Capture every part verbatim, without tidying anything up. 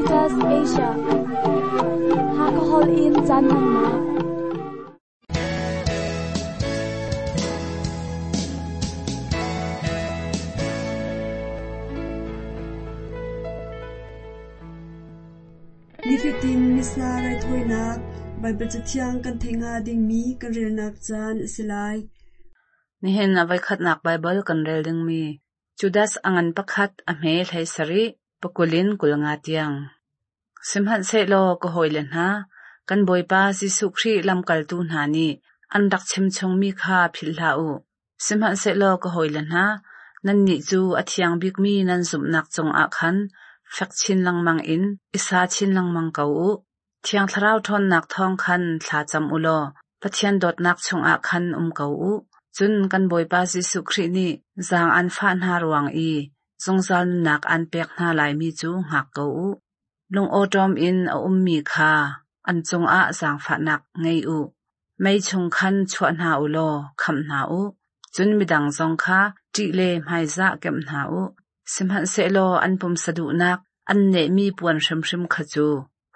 Caritas Asia. Hakahol in caan hmannak. Nifatin Missa raithawinak Baibal Cathiang kan theih hnga dingmi kan relnak caan a si lai. Nihin a voikhatnak Baibal kan rel dingmi Judas a ngan pakhat a hme hlei sarih pakulin kul nga tiang. Sihmanhsehlaw ka hawile hna, kan Bawipa Jesuh Khrih lamkaltu hna nih an rak chim chungmi kha philh hlah u. Sihmanhsehlaw ka hawile hna, nannih cu a thiang bikmi nan zumhnak cungah khan fek chin lengmang in i sa chin lengmang ko u. Thiang Thlarau ṭhawnnak thawng khan thla cam u law Pathian dawtnak chungah khan um ko u. Cun kan Bawipa Jesuh Khrih nih zaang aan fah hna ruang i zungzal nunnak aan pek hna laimi cu hngak ko u. Lungawṭawm in a ummi kha an cungah zaangfahnak ngei u. Mei chung khan chuah hna u law khamh hna u. Cun midang zong kha ṭih le hmaizah kemh hna u. Sihmanhsehlaw an pumsa duhnak an nehmi puan hrimhrim kha cu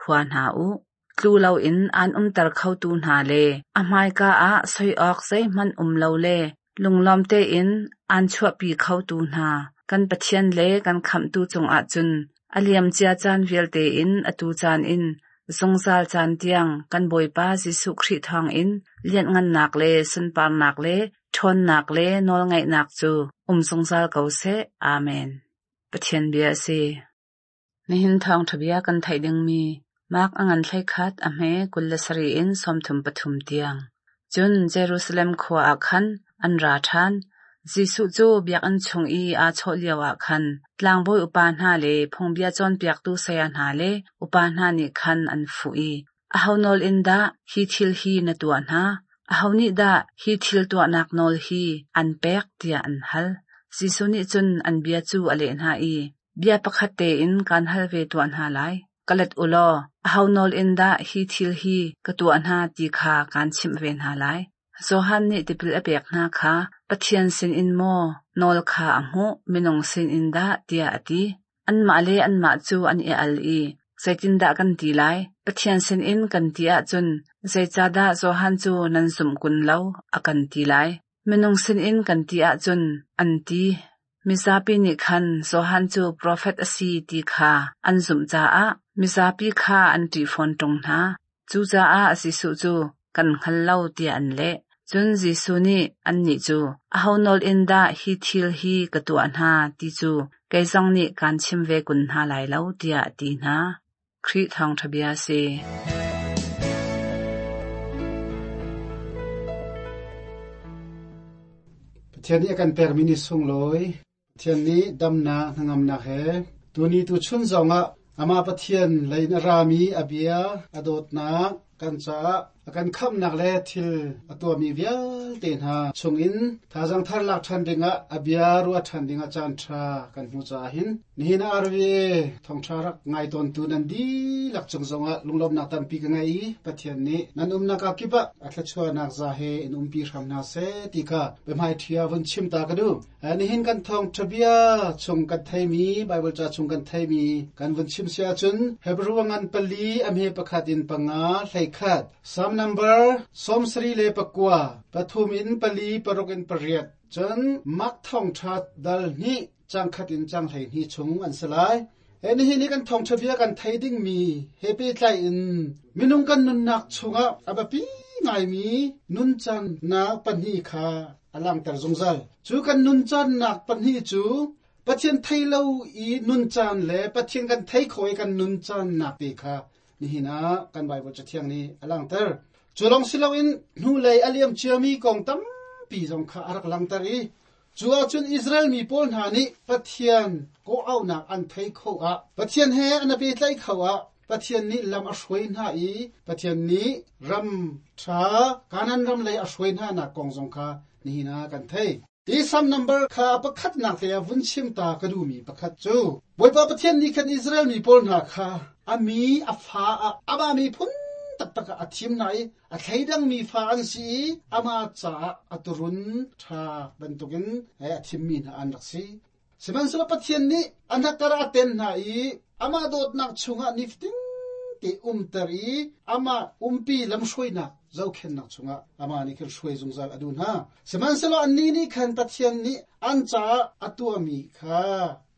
hua hna u. Tlu loin aan umter khotu hna le a hmaika ah soi awk zeihmanh um lo le lunglawm tein aan chuahpi khotu hna kan Pathian le kan Khamhtu cungah cun a liamcia caan vialte in atu caan in zungzal caan tiang kan Bawipa Jesuh Khrih thawngin lianhngannak le sunparnak le ṭhawnnak le nawlngeihnak cu um zungzal ko seh. Amen. Pathian bia a si. Nihin thawngṭha bia kan theih dingmi Mark a ngan hleikhat a hme kul le sarih in sawmthum pathum tiang. Cun Jerusalem khua ah khan an ra ṭhan. Jesuh cu biakinn chung i aa chawh lioah khan tlangbawi upa hna le phungbia cawnpiaktu saya hna le upa hna nih khan an fuh i, Aho nawl in dah hi thil hi na tuah hna? Aho nih dah hi thil tuahnak nawl hi an pek tiah an hal. Jesuh nih cun an bia cu a leh hna i, Bia pakhat tein kaan hal ve tuah hna lai. Ka let u law, aho nawl in dah hi thil hi ka tuah hna ti kha kaan chimh ve hna lai. Johan nih tipil a pek hna kha Pathian sinin maw nawl kha a hmuh, minung sinin dah tiah a ti. Anmah le anmah cu an i al i, zeitindah kan ti lai? Pathian sinin kan ti ahcun zeicahdah Johan cu nan zumh kun lo a kan ti lai? Minung sinin kan ti ahcun an ti. Mizapi nih khan Johan cu profet a si ti kha an zumh caah mizapi kha an ṭih fawn ṭung hna. Cucaah Jesuh cu kan hngal lo tiah an leh. Cun Jesuh nih annih cu, aho nawl in dah hi thil hi ka tuah hna ti cu kei zong nih kaan chim ve kun hna lai lo tiah a ti hna. Khrih thawngṭha bia a si. Pathian nih a kan pekmi ni sunglawi, Pathian nih damnak hnangamnak he tuni tu chun zongah amah Pathian lei in a rami a bia a dawtnak kan caah a kan khamhnak le thil a tuahmi vialte hna chungin thazaang thar lak ṭhan dingah a bia ruah ṭhan dingah caan ṭha kan hmu caah hin nihin ah R V A thawngṭha rak ngai tawntu nan dihlak cung zongah lunglawmhnak tampi ka ngei i Pathian nih nan umnak ah kip ah a thluachuahnak za he in umpi hram hna seh ti kha biahmai ṭhia vun chim ta ka duh. Nihin kan thawngṭha bia chung kan theimi Bible ca chung kan theimi kan vun chim si ahcun Hebrew ngan pali a hme pakhat in panga hleikhat, Psalm number sawm sarih le pakua pathum in pali paruk in pariat, cun Mark thawngṭha dal hnih cang khat in cang hleihnih chung an si lai. He nihin hi kan thawngṭha bia kan thei dingmi he pehtlai in minung kan nunnak chungah a biapi ngaimi nuncannak pahnih kha a langhter zungzal. Cu kan nuncannak pahnih cu Pathian thei lo i nuncan le Pathian kan thei kho i kan nuncannak te kha nihin ah kan Bible Cathiang nih a langhter. Cu lawng si loin hnulei a liam ciami kong tampi zong kha a rak langhter i cu ahcun Israel mi pawl hna nih Pathian kawh-auhnak an thei kho ah, Pathian he an i pehtlaih kho ah, Pathian nih lam a hruai hna i Pathian nih ram ṭha Kanaan ram lei a hruai hna nak kong zong kha nihin ah kan thei. Hi Psalm number kha pakhatnak te ah vun chim ta ka duhmi pakhat cu Bawipa Pathian nih khan Israel mi pawl hna kha a mi a fa ah amah miphun taktak ah a thim hna i a thleidangmi fa an si i amah caah a turun ṭha bantukin a thimmi hna an rak si. Sihmanhsehlaw Pathian nih an hakar a ten hna i amah dawtnak chungah niftin te umter i amah umpi lamhruainak zohkhenhnak chungah amah nih khan hruai zungzal a duh hna. Sihmanhsehlaw annih nih khan Pathian nih an caah a tuahmi kha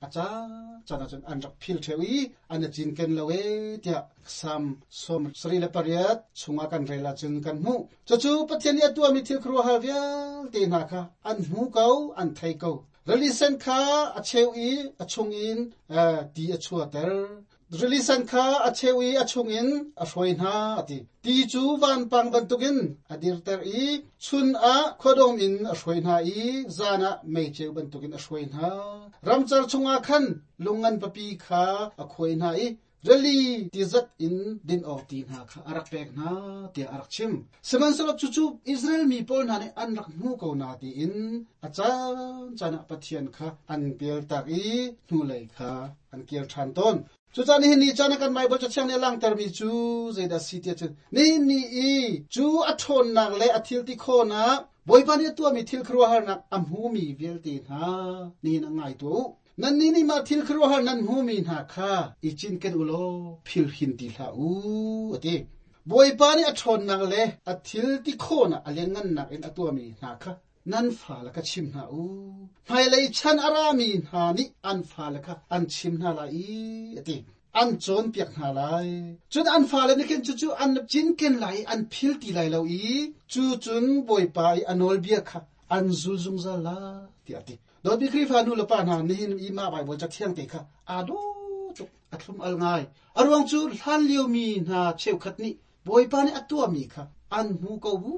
a caan caan ahcun an rak phil ṭheo i an i cinken lo ee tiah Salm sawm sarih le pariat chungah kan rel ahcun kan hmuh. Cucu Pathian nih a tuahmi thil khuaruahhar vialte hna kha an hmu ko, an thei ko. Rili sen kha a cheu i a chungin ti a chuahter. Rili sen kha a cheu i a chungin a hruai hna a ti. Ti cu vanpang bantukin a dirter i chun ah khuadawm in a hruai hna i zan ah meiceu bantukin a hruai hna. Ramcar chungah khan lungngan papi kha a khuai hna i rili tizat in din awk ti hna kha a rak pek hna tiah a rak chim. Sihmanhsehlaw cucu Israel mi pawl hna nih an rak hmu ko na tiin a caan caan ah Pathian kha an pialtak i hnulei kha an kir ṭhan tawn. Cucaah nihin ni caan ah kan Baibal cathiang nih a langhtermi cu zeidah a si tiah cun nihin ni i cu a ṭhawnnak le a thil ti khawhnak Bawipa nih a tuahmi thil khuaruahharnak a hmumi vialte hna nihin ah ngai tuah u. Nannih nih mah thil khuaruahhar nan hmumi hna kha i cinken u law philhin ti hlah u, a ti. Bawipa nih a ṭhawnnak le a thil ti khawhnak a lianngannak in a tuahmi hna kha nan fale kha chim hna u. Hmailei chan a rami hna nih an fale kha an chim hna lai i, a ti. An cawnpiak hna lai. Cun an fale nih khin cucu an cinken lai i an phil ti lai lo i cu cun Bawipa i a nawlbia kha an zul zungzal lai, tiah a ti. Dawtmi Khrihfa nu le pa hna nihin i mah Baibal cathiang te kha aa dawh tuk, a thlum al ngai. A ruang cu hlan liomi hna cheukhat nih Bawipa nih a tuahmi kha an hmu ko bu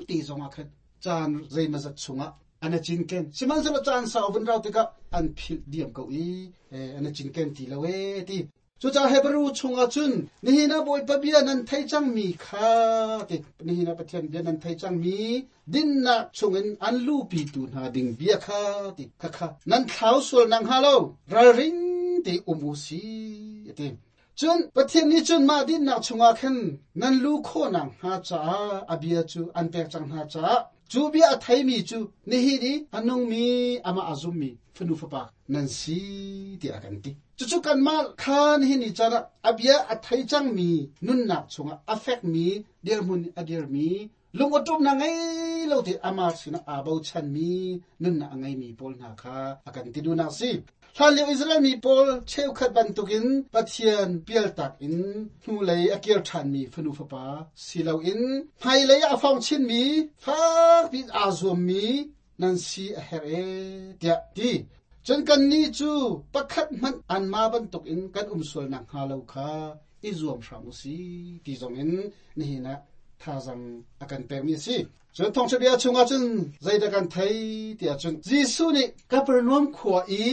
ti zongah khan caan zeimazat chungah an i cinken. Sihmanhsehlaw caan sau vun rau tikah an philh diam ko i an i cinken ti lo ee ti. Cucaah Hebrew chungah cun nihin ah Bawipa bia nan thei cangmi kha ti nihin ah Pathian bia nan thei cangmi dinnak chungin an luhpitu hna ding bia kha ti khakha nan thlau sual nak hnga lo ralring te um u si ti. Cun Pathian nih cun mah dinnak chungah khan nan lu khawhnak hnga caah a bia cu an pek cang hna caah cu bia a theimi cu nihin i a nungmi amah a zummi fanu fapa nan si tiah a kan ti. Cucu kanmah kha nihin ni caan ah a bia a thei cangmi nunnak chungah a fekmi dirhmun a dirmi lungawṭumnak ngei lo te amah sinah aa bochanmi nunnak a ngeimi pawl hna kha a kan ti duhnak a si. Hlanlio Israel mi pawl cheukhat bantukin Pathian pialtak in hnulei a kir ṭhanmi fanu fapa si loin hmailei ah a fong chinmi fakpi aa zuammi nan si a herh ee tiah ti. Cun kannih cu pakhat hmanh anmah bantukin kan um sual nakhnga lo kha i zuam hram u si ti zongin nihin ah thazang a kan pekmi a si. Cun thawngṭha bia chungah cun zeidah kan thei tiah cun Jesuh nih Kapernaum khua i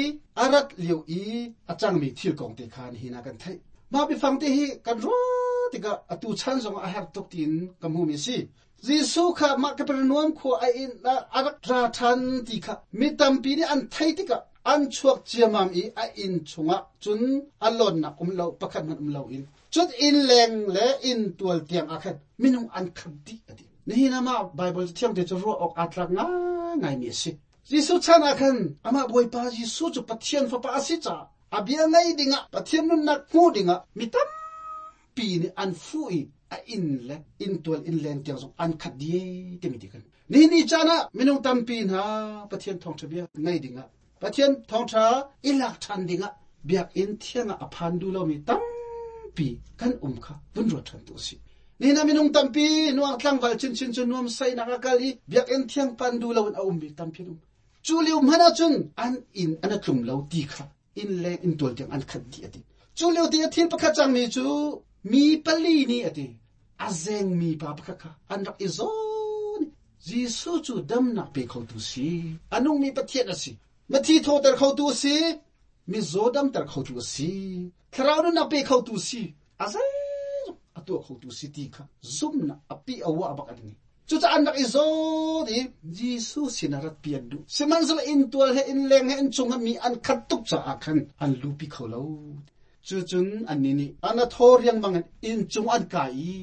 a rat lio i a cangmi thil kong te kha nihin ah kan theih. Mah biafang te hi kan ruah tikah atu chan zongah a herh tuk tiin ka hmumi a si. Jesuh kha mah Kapernaum khua a inn ah a rak ra ṭhan ti kha mi tampi nih an theih tikah an chuak ciammam i a inn chungah cun a lawnnak um lo pakhat hmanh um loin cun inn leng le inn tual tiang ah khan minung an khat dih a ti. Nihin ah mah Baibal thiang te cu ruah awk aa tlak ngaingaimi a si. Jesuh chan ah khan amah Bawipa Jesuh cu Pathian Fapa a si caah a bia ngei dingah Pathian nunnak hmu dingah mi tampi nih an fuh i a inn le inn tual inn leng tiang zong an khat dih timi ti kan. Nihin ni caan ah minung tampi hna Pathian thawngṭha bia ngei dingah Pathian thawngṭha i lak ṭhan dingah biakinn thiang ah a phan duh lomi tampi kan um kha vun ruat ṭhan tu a si. Nihin ah minung tampi nuang tlangval chinchin cu nuamsainak a kal i biakinn thiang pan duh loin a ummi tampi an um. Cu lio hmanh ahcun an inn an a tlum lo ti kha inn leng inn tual tiang an khat dih a ti. Cu lio ti a thil pakhat cangmi cu mi pali nih a ti. A zengmi pa pakhat kha an rak i zawn. Jesuh cu damnak pe khotu si. A nungmi Pathian a si. Mithi thawhter khotu a si. Mizaw damter khotu a si. Thlarau nunnak pe khotu si. A zeizong a tuah khotu si ti kha zumnak a pi a uah bak an ngei. Cucaah an rak i zawn i Jesuh sinah rat pi an duh. Sihmanhsehlaw inn tual he inn leng he inn chung ah mi an khat tuk caah khan an lupi kho lo. Cucun annih nih an a thaw riangmang in inn cung an kai i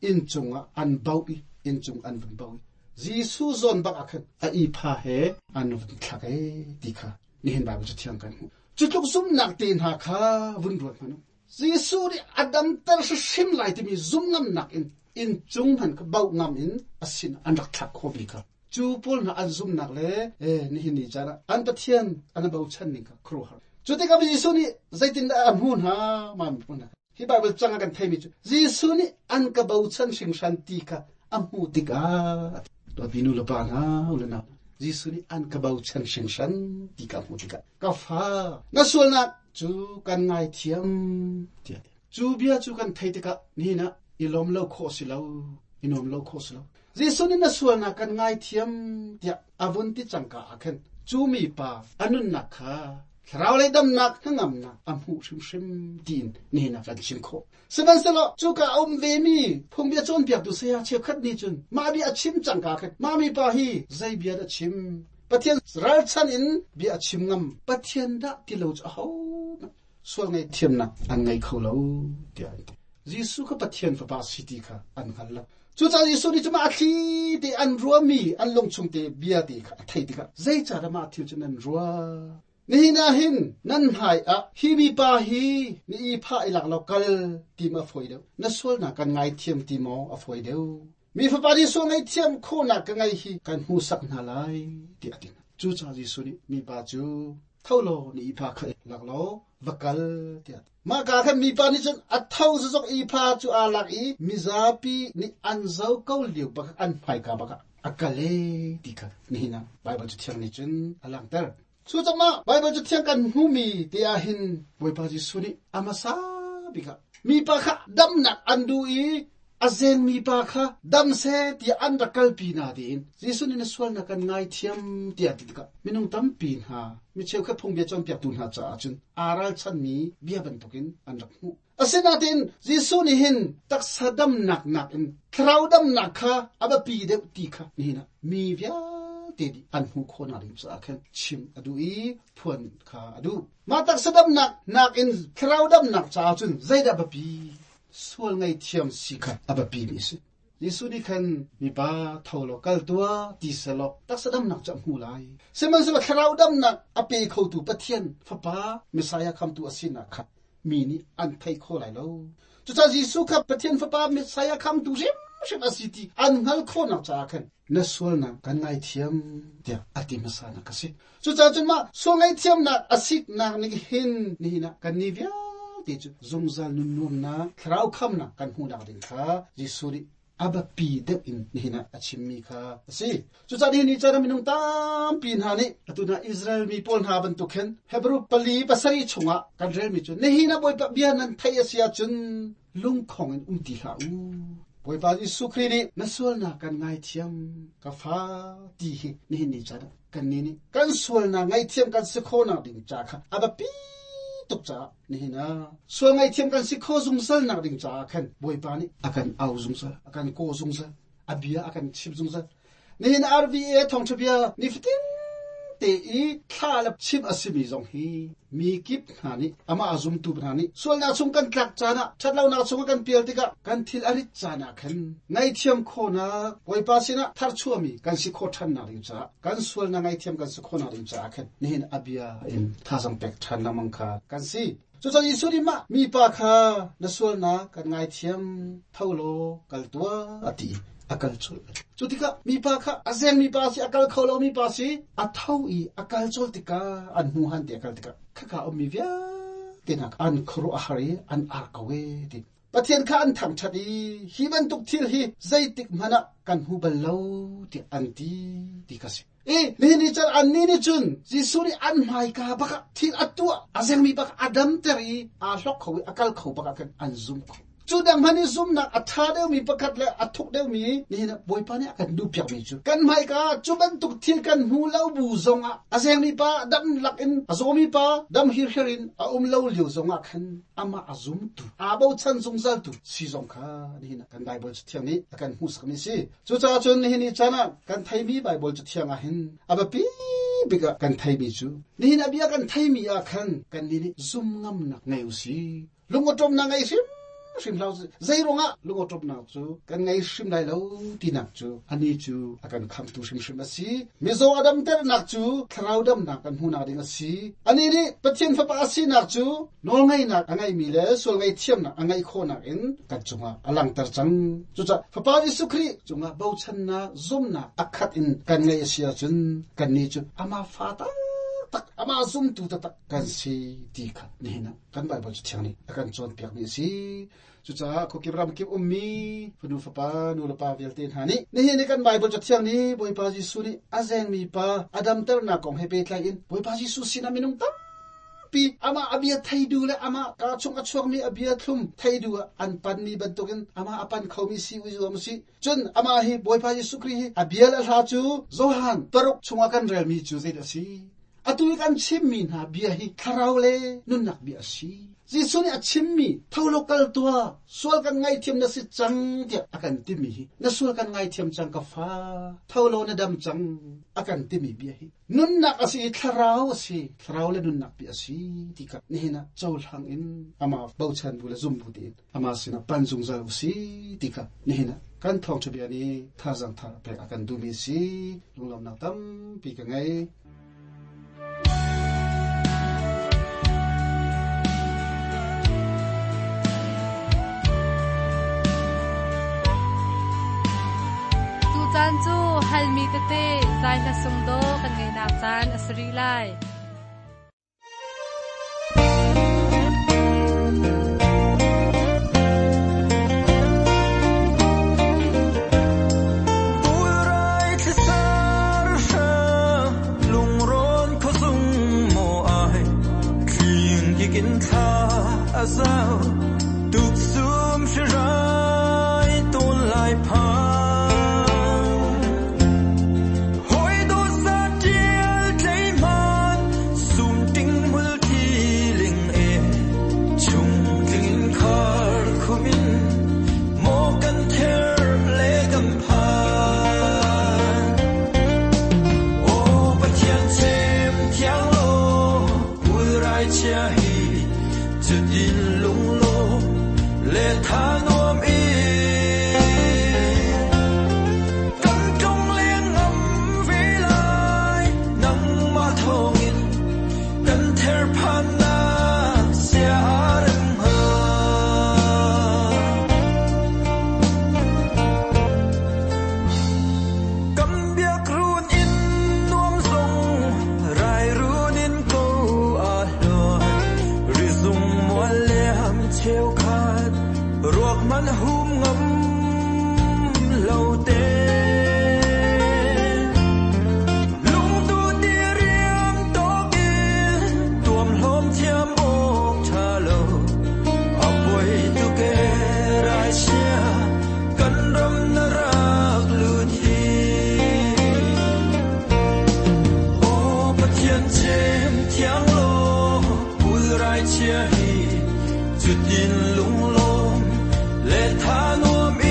inn cungah an bauh i inn cung an vun bauh i Jesuh zawn bak ah khan a ipha he an vun thlak ee ti kha Nihin Bible cu thiang kan hmu. Cu tluk zumnak te hna kha vun ruat hmanh u. Jesuh nih a damter hrim lai timi zum ngamnak in in cung han ka bau ngam in asin an rak thlak kho mi kha. Cu pawl hna an zumnak le eh nihin ni caan ah an Pathian an bochan ning kha khuaruahhar. Cu tikah Jesuh nih zeitindah a hmu hna ma mi hna. Hi Bible cang ah kan theimi cu Jesuh nih an ka bochan hringhran ti kha a hmu tikah dawtmi nu le pa hna u le nau Jesuh nih an ka bochan hringhran ti kha a hmu tikah ka fa na sualnak cu kan ngaithiam tiah cu bia cu kan thei tikah nihin ah i lawm lo khawh si lo i nuam lo khawh si lo. Jesuh nih na sualnak kan ngaithiam tiah a vun ti cangka ah khan cu mi pa a nunnak kha thlarau lei damnak hnangamnak a hmuh hrimhrim tiin nihin ah kan chim khawh. Sihmanhsehlaw cuka a um ve mi phungbia cawnpiaktu saya cheukhat nih cun mah bia a chim cangka khan mah mi pa hi zei bia dah chim Pathian ralchan in bia a chim ngam Pathian dah ti lo cu aho sual ngaihthiamnak an ngei kho lo tiah an ti. Jesuh kha Pathian fapa si ti kha an hngal lo. Cucaah Jesuh nih cuma a thli te an ruami an lungchung te bia te kha a thei tikah zeicahdah mah thil cu nan ruah? Nihin ah hin nan hmai ah hi mi pa hi ni i phah i lak lo kal ti ma a fawi deuh. Na sualnak kan ngaithiam ti maw a fawi deuh. Mi fapa nih sual ngaihthiam khawhnak ka ngei hi kan hmuhsak hna lai tiah a ti. Cucaah Jesuh nih mi pa cu tho law ni i pha kha lak law va kal tiah. Mah ka khan mipa nih cun a tho zazok i pha cu aa lak i mizapi nih an zo ko lio bak an hmaika bak ah a kal e ti kha nihin ah Bible cu thiang nih cun a langhter. Cu cangmah Bible cu thiang kan hmumi te ah hin Bawipa Jesuh nih a hmasa bik ah mipa kha damnak an duh i a zeng mipa kha dam seh tiah an rak kalpi na tiin Jesuh nih na sualnak kan ngaithiam tiah ti tikah minung tampi hna mi cheukhat phungbia cawnpiaktu hna caah cun aa ralchanmi bia bantukin an rak hmuh. Asinain Jesuh nih hin taksa damnak nakin thlarau damnak kha a biapi deuh ti kha nihin ah mi vialte nih an hmuh khawhnak ding caah khan chim a duh i phuan kha a duh. Mah taksa damnak nakin thlarau damnak caah cun zeidah biapi? Sual ngaihthiam si kha a biapi mi a si. Jesuh nih khan mipa tho law kal tuah ti selaw taksa damnak cu a hmu lai. Sihmanhsehlaw thlarau damnak a pe khotu Pathian Fapa Messiah khamtu a sinak kha mi nih an thei kho lai lo. Cucaah Jesuh kha Pathian Fapa Messiah khamtu hrimhrim a si ti an hngal khawhnak caah khan na sualnak kan ngaithiam tiah a ti hmasa nak a si. Cucaah cun mah sual ngaihthiamnak a siknak nih hin nihin ah kan ni vialte cu zungzal nun nuamnak thlarau khamnak kan hmuhnak ding kha Jesuh nih a biapi deuh in nihin ah a chimmi kha a si. Cucaah nihin ni caan ah minung tampi hna nih atu hna Israel mi pawl hna bantuk khin Hebrew pali pasarih chungah kan relmi cu nihin ah Bawipa bia nan theih a si ahcun lungkhong in um ti hlah u. Bawipa Jesuh Khrih nih na sualnak kan ngaithiam ka fa ti hi nihin ni caan ah kan ni nih kan sualnak ngaihthiam kan si khawhnak ding ca kha a biapi tuk caah nihin ah sual ngaihthiam kan si kho zungzal nak ding caah khan Bawipa nih a kan au zungzal a kan kaw zungzal a bia a kan chim zungzal. Nihin R V A thawngṭha bia nifatin te i thla le chim a simi zong hi mi kip hna nih amah a zumtu hna nih sualnak chung kan tlak caan ah ṭhatlonak chung kan pial tikah kan thil a rit caan ah khan ngaihthiam khawhnak Bawipa sinah tharchuahmi kan si khawh ṭhannak ding caah kan sualnak ngaihthiam kan si khawhnak ding caah khan nihin a bia in thazaang pek ṭhan lengmang kha kan si. Cucaah Jesuh nih mah mipa kha na sualnak kan ngaithiam tho law kal tuah a ti. A kal cawlh. Cu tikah mipa kha a zeng mipa si a kal kho lo mipa si a tho i a kal cawlh tikah an hmu han ti a kal tikah khaka ummi vialte hna an khuaruah a har i an ar ko e ti. Pathian kha an thangṭhat i hi bantuk thil hi zeitik hmanh ah kan hmu bal lo tiah an ti ti kha si. I nihin ni caan an ni nih cun Jesuh nih an hmaika bak ah thil a tuah a zengmi bak a damter i aa hlok kho i a kal kho bak ah khan an zum kho. Cu dang hmanh i zumnak a ṭha deuhmi pakhat le a thuk deuhmi nihin ah Bawipa nih a kan duhpiakmi cu kan hmaika cu bantuk thil kan hmu lo bu zongah a zengmi pa dam lak in a zawmi pa dam hirhiar in a um lo lio zongah khan amah a zumtu aa bochan zungzaltu si zong kha nihin ah kan Bible cu thiang nih a kan hmuhsakmi si. Cucaah cun nihin ni caan ah kan theimi Bible cu thiang ah hin a biapi bik ah kan theimi cu nihin a bia kan theimi ah khan kan nih nih zum ngamnak ngei u si. Lungawṭawmnak ngei hrim Hrim hlau zeiruangah lungawṭawmnak cu kan ngei hrim lai lo tinak cu ani cu a kan khamtu hrimhrim a si. Mizaw a damternak cu thlarau damnak kan hmuhnak ding a si. Ani nih Pathian Fapa a sinak cu nawlngeihnak a ngeimi le sual ngaihthiamnak a ngeih khawhnak in kan cungah a langhter cang. Cucaah Fapa Jesuh Khrih cungah bochannak zumnak a khat in kan ngeih a si ahcun kannih cu amah fa taktak amah zumtu taktak kan si ti kha nihin ah kan Baibal Cathiang nih a kan cawnpiakmi a si. Cucaah khuakip ramkip ummi fanu fapa nu le pa vialte hna nih nihin i kan Baibal Cathiang nih Bawipa Jesuh nih a zengmi pa a damternak kong he pehtlai in Bawipa Jesuh sinah minung tampi amah a bia thei duh le amah kaa chung a chuakmi a bia thlum thei duh ah an panmi bantukin amah a pan khomi si u zuam usih. Cun amah hi Bawipa Jesuh Khrih hi a bia le a hla cu Johan paruk chungah kan relmi cu zeidah a si? Atu i kan chimmi hna bia hi thlarau le nunnak bia a si. Jesuh nih a chimmi tho law kal tuah, sual kan ngaihthiam na si cang tiah a kan timi hi na sual kan ngaithiam cang ka fa, tho law na dam cang a kan timi bia hi nunnak a si i thlarau a si, thlarau le nunnak bia a si ti kha nihin ah cohlang in amah bochan bu le zum bu tein amah sinah pan zungzal u si ti kha nihin ah kan thawngṭha bia nih thazaang thar pek a kan duhmi a si. Lunglawmhnak tampi ka ngei. Tucaan cu halmi tete zai hla sung dawh kan ngeihnak caan a si rih lai. Kin tha a zau tuk sum shi rai ton lai pha hoi do sa tial tlei man sum ting mul thi ling e chung tling khar khumin mo kan ther le kam pha o Pathian chem thiang lo pul rai chia hi chut in lung lo le tha nuam i kan tong le ngam ve lai nang ma thong in kan ther phan na sia rem ha kam biak run in nuam song rai run in ko a hluan ri zung mual liam cheu khat ruak man hum ngam lo te lung tu ti riam tok in tuam hlom thiam ok tha lo a poi tu ke rai sia kan ram na rak lut hi o Pathian chem thiang lo pul rai chia hi chutin lung lom le tha nuam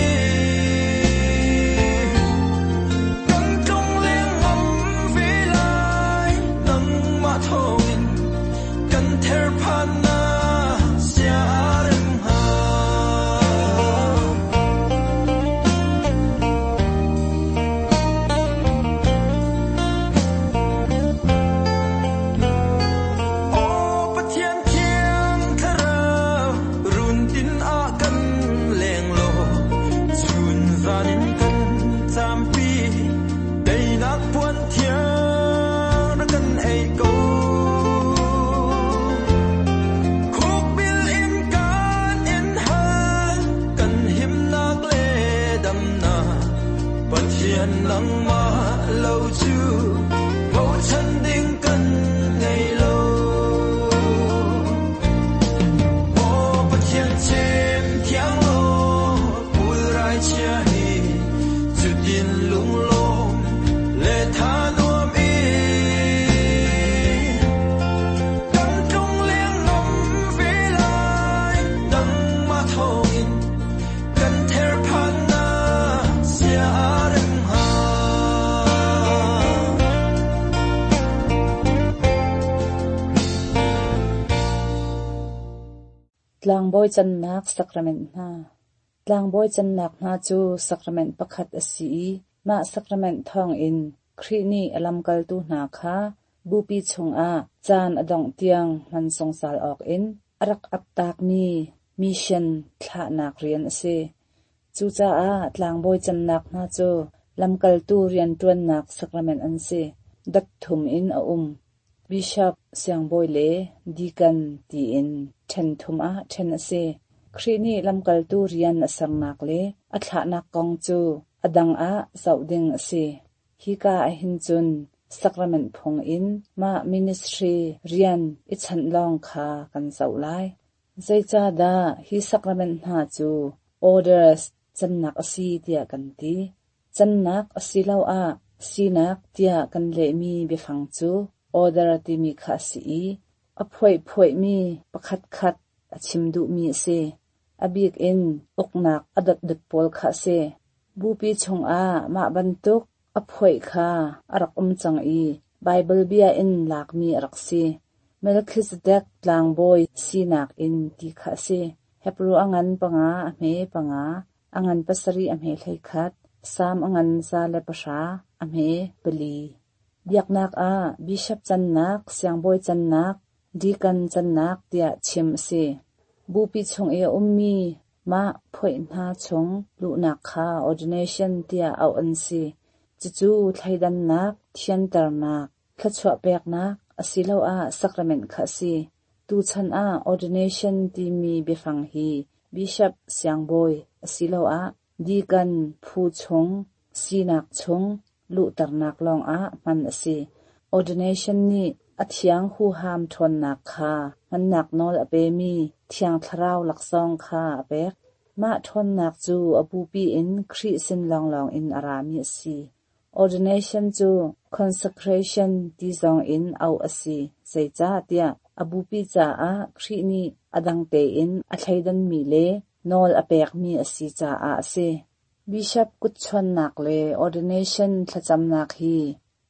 Tlangbawi cannak sacrament hna. Tlangbawi cannak hna cu sacrament pakhat a si i mah sacrament thawngin Khrih nih a lamkaltu hna kha bupi chungah caan a dongh tiang hman zungzal awkin a rak aptakmi mission thlahnak rian a si. Cucaah tlangbawi cannak hna cu lamkaltu rianṭuannak sacrament an si. Dot thum in a um. Bishop, siangbawi le deacon tiin ṭhen thum ah ṭhen a si. Khrih nih lamkaltu rian a sernak le a thlahnak kong cu a dang ah zoh ding a si. Hika ahhin cun sacrament phung in mah ministry rian i chanh lawng kha kan zoh lai. Zeicahdah hi sacrament hna cu orders cannak a si tiah kan ti? Cannak asiloah sinak tiah kan lehmi biafang cu order timi kha a si i a phuaiphuaimi pakhatkhat a chim duhmi a si. A bik in uknak a dotdot pawl kha a si. Bupi chungah mah bantuk a phuaih kha a rak um cang i Baibal bia in lakmi a rak si. Melchizedek tlangbawi sinak in ti kha a si. Hebru a ngan panga a hme panga, a ngan pasarih a hme hleikhat, Salm a ngan za le pahra a hme pali. Biaknak ah bishop cannak, siangbawi cannak, deacon cannak tiah chim a si. Bupi chung i a ummi mah phuaih hna chung luhnak kha ordination tiah auh an si. Cucu thleidannak, thianternak, thluachuah peknak asiloah sacrament kha a si. Tuchan ah ordination timi biafang hi bishop, siangbawi asiloah deacon phu chung, sinak chung luhternak lawngah hman a si. Ordination nih a thiang huham ṭhawnnak kha hmannak nawl a pemi Thiang Thlarau laksawng kha a pek. Mah ṭhawnnak cu a bupi in Khrih sin lawnglawng in a rami a si. Ordination cu consecration ti zong in auh a si. Zeicahtiah a bupi caah Khrih nih a dang tein a thleidanmi le nawl a pekmi a si caah a si. Bishop kutchuannak le ordination thlacamnak hi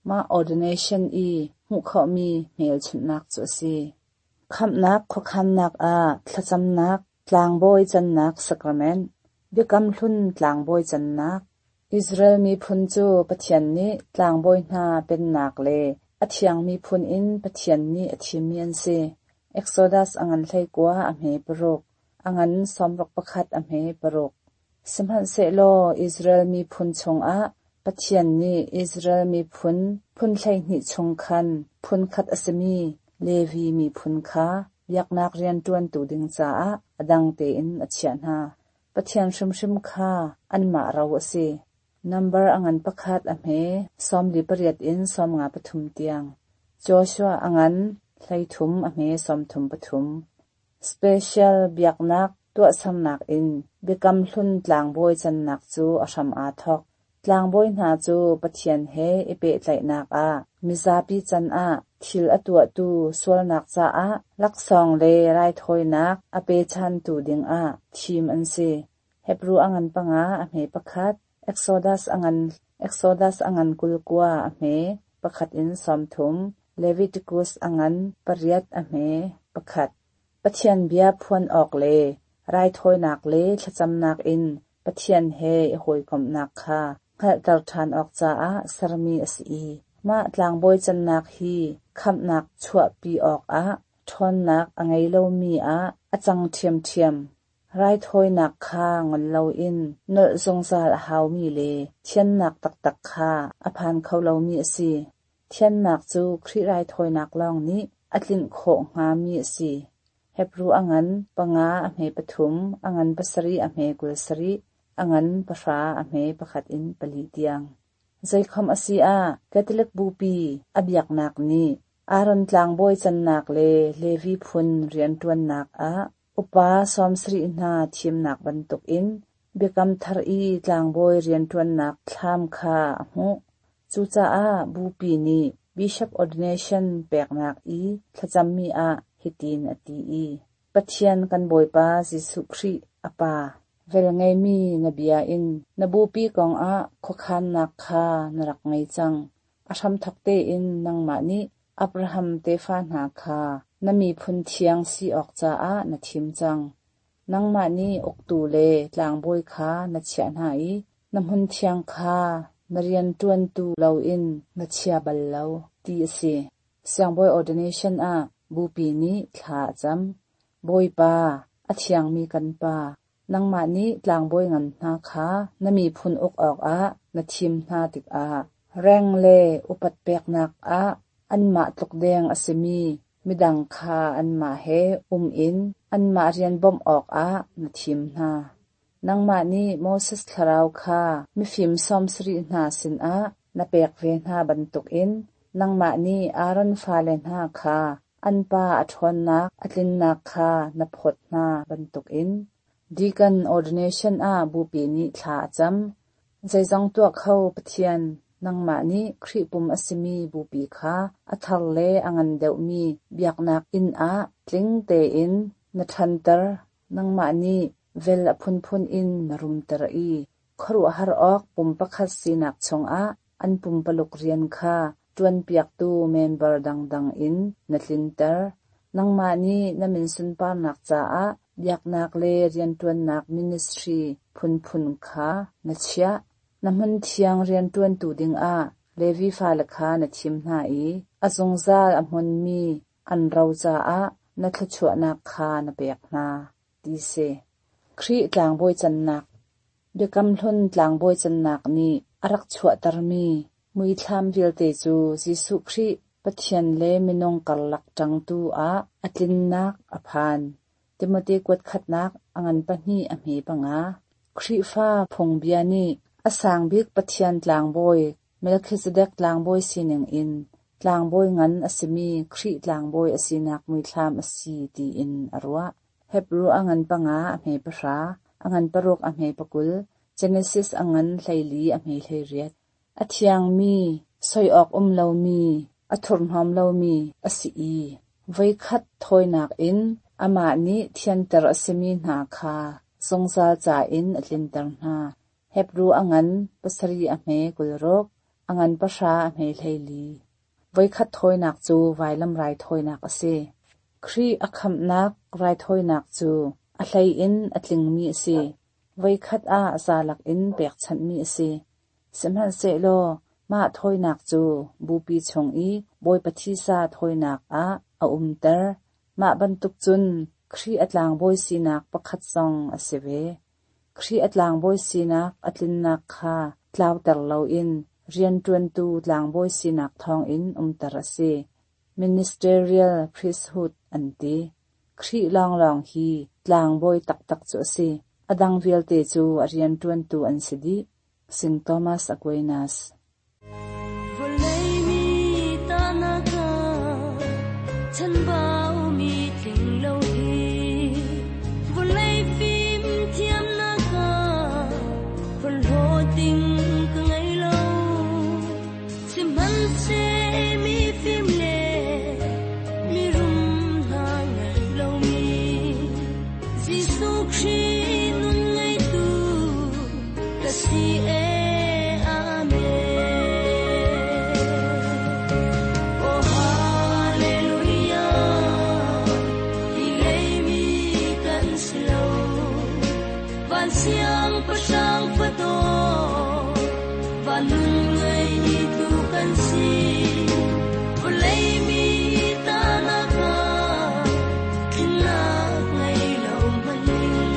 mah ordination i hmuh khawhmi hmelchunhnak cu a si. Khamhnak khuakhannak ah thlacamnak, tlangbawi cannak sacrament, biakam hlun tlangbawi cannak. Israel miphun cu Pathian nih tlangbawi hna pennak le a thiang miphun in Pathian nih a thimmi an si. Exodus a ngan hleikua a hme paruk, a ngan sawmruk pakhat a hme paruk. Sihmanhsehlaw Israel miphun chungah Pathian nih Israel miphun phun hleihnih chung khan phun khat a simi Levi miphun kha biaknak rianṭuantu ding caah a dang tein a chiah hna. Pathian hrimhrim kha anmah ro a si. Number a ngan pakhat a hme sawmli pariat in sawmnga pathum tiang. Joshua a ngan hleithum a hme sawmthum pathum. Special biaknak tuahsernak in biakam hlun tlangbawi cannak cu a hram aa thawk. Tlangbawi hna cu Pathian he i pehtlaihnak ah mizapi can ah thil a tuahtu sualnak caah laksawng le raithawinak a pechantu dingah thim an si. Hebru a ngan panga a hme pakhat, Exodus a ngan Exodus a ngan kulkua a hme pakhat in sawmthum, Leviticus a ngan pariat a hme pakhat. Pathian bia phuan awk le raithawinak le thlacamnak in Pathian he i hawikomhnak kha hngalhter ṭhan awk caah sermi a si i mah tlangbawi cannak hi khamhnak chuahpi awkah ṭhawnnak a ngei lomi ah a cang ṭhiamṭhiam. Raithawinak kha ngol loin nolh zungzal a haumi le thiannak taktak kha a phan kho lomi a si. Thiannak cu Khrih raithawinak lawng nih a tlinh khawh hngami a si. Hebru a ngan panga a hme pathum, a ngan pasarih a hme kul sarih, a ngan pahra a hme pakhat in pali tiang. Zeikhom a si ah Catholic bupi a biaknak nih Aaron tlangbawi cannak le Levi phun rianṭuannak ah upa sawmsarih hna thimnak bantukin biakam thar i tlangbawi rianṭuannak thlam kha a hmuh. Cucaah bupi nih bishop ordination peknak i thlacammi ah hitin a ti i Pathian kan Bawipa Jesuh Khrih a Pa, velngeimi na bia in na bupi kongah khuakhannak kha na rak ngei cang. A hramthawk tein nangmah nih Abraham tefa hna kha na miphun thiang si awk caah na thim cang. Nangmah nih uktu le tlangbawi kha na chiah hna i na hmunthiang kha na rianṭuantu loin na chia bal lo, ti a si. Siangbawi ordination ah Bupi nih thla a cam. Bawipa, a thiangmi kan Pa, nangmah nih tlangbawi ngan hna kha na miphun uk awkah na thim hna tikah reng le upat peknak ah anmah tluk deng a simi midang kha anmah he um in anmah rian bawmh awkah na thim hna. Nangmah nih Moses thlarau kha mifim sawmsarih hna sinah na pek ve hna bantukin nangmah nih Aaron fale hna kha an pa a ṭhawnnak a tlinnak kha na phawt hna bantukin. Deacon ordination ah Bupi nih thla a cam. Zeizong tuah kho Pathian, nangmah nih Khrih pum a simi Bupi kha a thar le a ngan deuhmi biaknak inn ah tling tein na ṭhanter. Nangmah nih vel a phunphun in na rumter i khuaruahhar awk pum pakhat sinak chungah an pumpaluk rian kha ṭuanpiaktu member dangdang in na tlinter. Nangmah nih na min sunparnak caah biaknak le rianṭuannak ministry phunphun kha na chiah. Na hmunthiang rianṭuantu dingah Levi fale kha na thim hna i a zungzal a hmunmi an ro caah na thluachuahnak kha na pek hna, ti si. Khrih tlangbawi cannak. Biakam Hlun tlangbawi cannak nih a rak chuahtermi muithlam vialte cu Jesuh Khrih Pathian le minung karlak ṭangtu ah a tlinnak a phan. Timote kuat khatnak a ngan pahnih a hme panga. Khrihfa phungbia nih a sang bik Pathian tlangbawi Melchizedek tlangbawi sining in tlangbawi ngan a simi Khrih tlangbawi a sinak muithlam a si tiin a ruah. Hebru a ngan panga a hme pahra, a ngan paruk a hme pakul, Genesis a ngan hleili a hme hleiriat. A thiangmi, soi awk um lomi, a thurhnawm lomi a si i voikhat thawinak in amah nih thianter a simi hna kha zungzal ca in a tlinter hna. Hebru a ngan pasarih a hme kulruk, a ngan pahra a hme hleili. Voikhat thawinak cu vailam raithawinak a si. Khrih a khamhnak raithawinak cu a hlei in a tlingmi a si. Voikhat ah zalak in pekchanhmi a si. Sihmanhsehlaw mah thawinak cu Bupi chung i Bawipa thisa thawinak ah a umter. Mah bantuk cun Khrih a tlangbawi sinak pakhat zong a si ve. Khrih a tlangbawi sinak a tlinnak kha tlauter loin rianṭuantu tlangbawi sinak thawngin umter a si. Ministerial priesthood an ti. Khrih lawnglawng hi tlangbawi taktak cu a si. A dang vialte cu a rianṭuantu an si dih. Saint Thomas Aquinas. Vawlei mi tanaka chanbau mi tling lo hi vawlei fim thiam naka phorhlawt ding ka ngei lo sihmanhseh mi fim le mi rum hna ngei lo mi Jesuh Khrih nun ngeitu ka si e. Amen. Oh Hallelujah, hi lei mi kan si lo, van siang pahrang fado, van nun ngei tu kan si. Vawlei mi tanaka, tlinnak ngei lo hmanhin,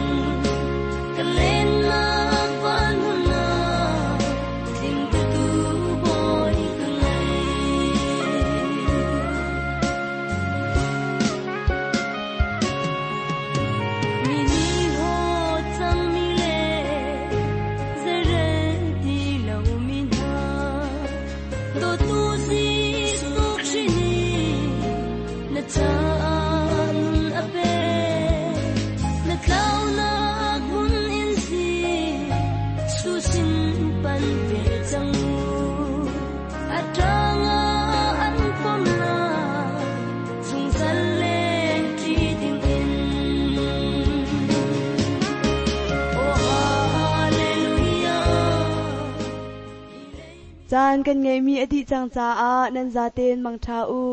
ka lennak van hun ah, tling tu Bawi ka ngei. Mi nih hlawt cang mi le zeirel ti lo mi hna, dawtu Jesuh Khrih nih na caah nun a pek. Na tlaunak hmun in Jesuh sin pan ve cang u. A ṭangah an pom lai, zungzal leng ṭi dingin. Oh Hallelujah. Caan kan ngeihmi a dih cang caah nan zaten mangṭha u.